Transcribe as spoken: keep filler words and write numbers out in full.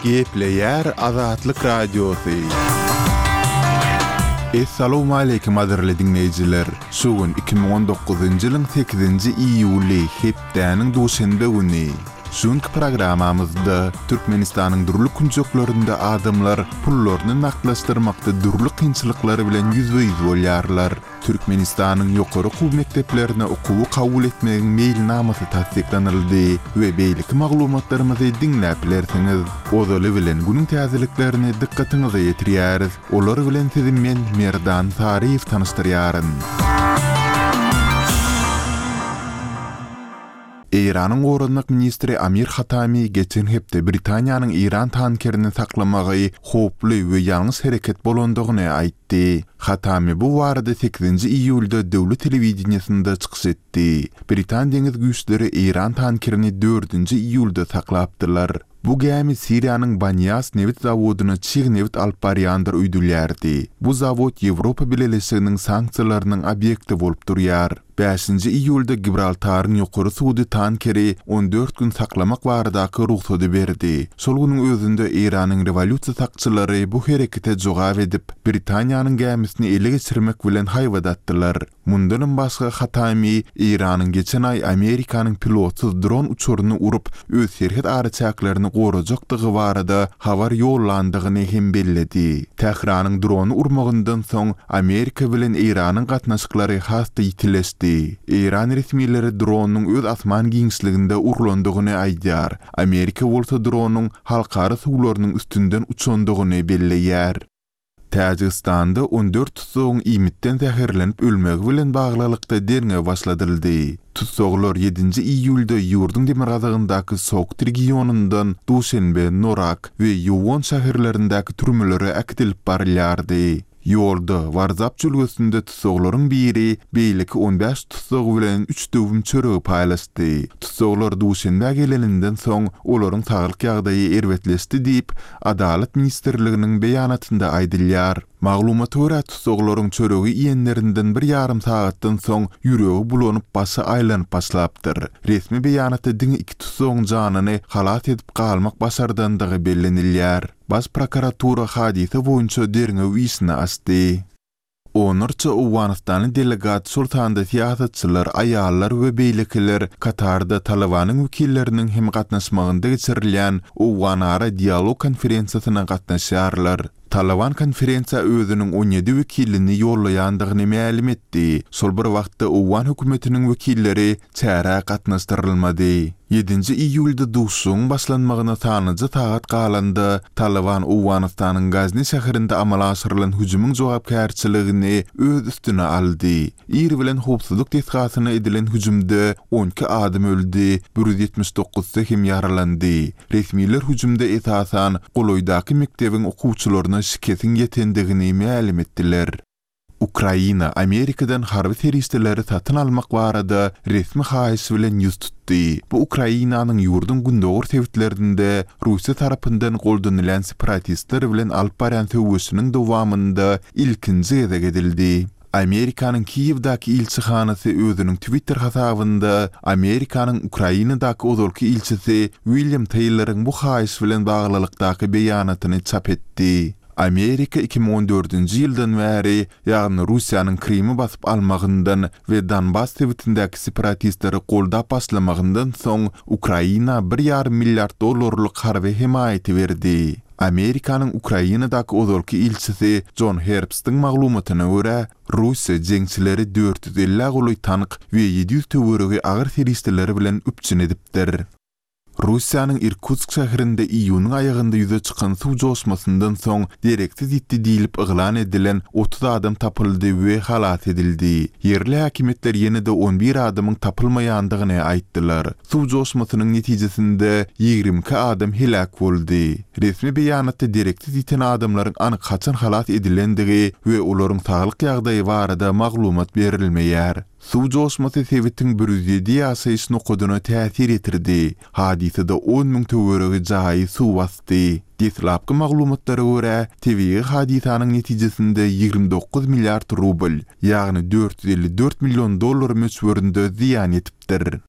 Gepleýär Azatlyk Radiosy. Essalawmaleýkim gadyrly diňleýjiler! Şu gün iki müň on dokuzynjy ýylyň sekizinji iýuly, hepdäniň duşenbe güni. Şu günki programmamyzda Türkmenistanyň dürli künjeklerinde adamlar pullaryny nagtlaşdyrmakda dürli kynçylyklar bilen ýüzbe-ýüz bolýarlar. Türkmenistanyň ýokary okuw mekdeplerine okuwy kabul etmegiň meýilnamasy tassyklanyldy we beýleki maglumatlarymyzy diňläp bilersiňiz. Ozaly bilen günüň täzeliklerini dykgatyňyza ýetirýäris. Olar bilen sizi men Merdan Saryýew tanyşdyrýaryn. Eýranyň goranmak ministri Amir Hatami geçen hepde Britaniýanyň Eýran tankerini saklamagy howply we ýalňyş hereket bolandygyny aýtdy. Hatami bu barada sekizinji iýulda döwlet telewideniýesinde çykyş etdi. Britan deňiz güýçleri Eýran tankerini dördünji iýulda saklapdylar. Bu gämi Siriýanyň Banýas nebit zawodyna çig nebit alyp barýandyr öýdülýärdi. Bu zawod Ýewropa Bileleşiginiň sanksiýalarynyň obýekti bolup durýar. Bäşinji iýulda Gibraltaryň ýokary sudy tankeri on dört gün saklamak baradaky rugsady berdi. Şol günüň özünde Eýranyň rewolýusiýa sakçylary bu herekete jogap edip, Britaniýanyň gämisini ele geçirmek bilen haýbat atdylar. Mundanam başga Hatami Eýranyň geçen aý Amerikanyň pilotsyz dron uçaryny urup, öz serhet araçäklerini gorajakdygy barada habar ýollandygyny hem belledi. Tähranyň drony urmagyndan soň Amerika bilen Eýranyň gatnaşyklary has-da ýitileşdi. Eýran resmileri dronyň öz asman giňişliginde urlandygyny aýdýar. Amerika bolsa dronyň halkara suwlarynyň üstünden uçandygyny belleýär. Täjigistanda on dört tussagyň iýmitden zäherlenip ölmegi bilen baglylykda derňew başladyldy. Tussaglar ýedinji iýulda ýurduň demirgazygyndaky Sogt regionyndan Duşenbe, Norak we Ýuwon şäherlerindäki türmelere äkidilip barylýardy. Ýolda, Warzap jülgesinde tussaglaryň biri beýleki on bäş tussag bilen üç döwüm çöregi paýlaşdy. Tussaglar Duşenbä geleninden soň, olaryň saglyk ýagdaýy erbetleşdi diýip, Adalat ministrliginiň beýanatynda aýdylýar. Maglumata görä, tussaglaryň çöregi iýenlerinden bir ýarym sagatdan soň ýüregi bulanyp, başy aýlanyp başlapdyr. Resmi beýanatda diňe iki tussagyň janyny halas edip galmak başardandygy bellenilýär. Baş prokuratura hadysa boýunça derňew işini açdy. Onlarça owganystanly delegat, şol sanda syýasatçylar, aýallar we beýlekiler Katarda Talybanyň wekilleriniň hem gatnaşmagynda geçirilýän Owganara dialog konferensiýasyna gatnaşýarlar. Talyban konferensiýa özüniň on ýedi wekilini ýollaýandygyny mälim etdi. Şol bir wagtda owgan hökümetiniň wekilleri çärä gatnaşdyrylmady. Ýedinji iýulda duşuşygyň başlanmagyna sanlyja sagat galanda, Talyban Owganystanyň Gazni şäherinde amala aşyrylan hüjümiň jogapkärçiligini öz üstüne aldy. Ir bilen howpsuzlyk desgasyna edilen hüjümde on iki adam öldi, bir ýüz ýetmiş dokuzsy hem ýaralandy. Resmiler hüjümde esasan golaýdaky mekdebiň okuwçylaryna şikesiň ýetendigini mälim etdiler. Ukraina Amerikadan harby serişdeleri satyn almak barada resmi haýyş bilen ýüz tutdy. Bu Ukrainanyň ýurduň gündogar sebitlerinde Russiýa tarapyndan goldanylýan separatistler bilen alyp barýan söweşiniň dowamynda ilkinji gezek edildi. Amerikanyň Kiýewdäki ilçihanasy özüniň Twitter hasabynda Amerikanyň Ukrainadaky ozalky ilçisi William Teýloryň bu haýyş bilen baglylykdaky beýanatyny çap etdi. Amerika iki müň on dördünji ýyldan bäri, ýagny Russiýanyň Krymy basyp almagyndan we Donbas sebitindäki separatistleri goldap başlamagyndan soň Ukraina bir ýarym milliard dollarlyk harby hemaýaty berdi. Amerikanyň Ukrainadaky ozalky ilçisi Jon Herbstiň maglumatyna görä, Russiýa jeňçileri dört ýüz ellä golaý tank we ýedi ýüz töweregi agyr serişdeler bilen üpjün edipdir. Russiýanyň Irkutsk şäherinde iýunyň aýagynda ýüze çykan suw joşmasyndan soň dereksiz ýitdi diýlip yglan edilen otuz adam tapyldy we halas edildi. Ýerli häkimiýetler ýene-de on bir adamyň tapylmaýandygyny aýtdylar. Suw joşmasynyň netijesinde ýigrimi iki adam heläk boldy. Resmi beýanatda dereksiz ýiten adamlaryň anyk haçan halas edilendigi we olaryň saglyk ýagdaýy barada maglumat berilmeýär. Suw joşmasy sebitiň bir ýüz ýedi ýaşaýyş nokadyna täsir ýetirdi. Hadysada on müň töweregi jaýy suw basdy. Deslapky maglumatlara görä, tebigy hadysanyň netijesinde ýigrimi dokuz milliard rubl, ýagny dört ýüz elli dört million dollar möçberinde zyýan ýetipdir.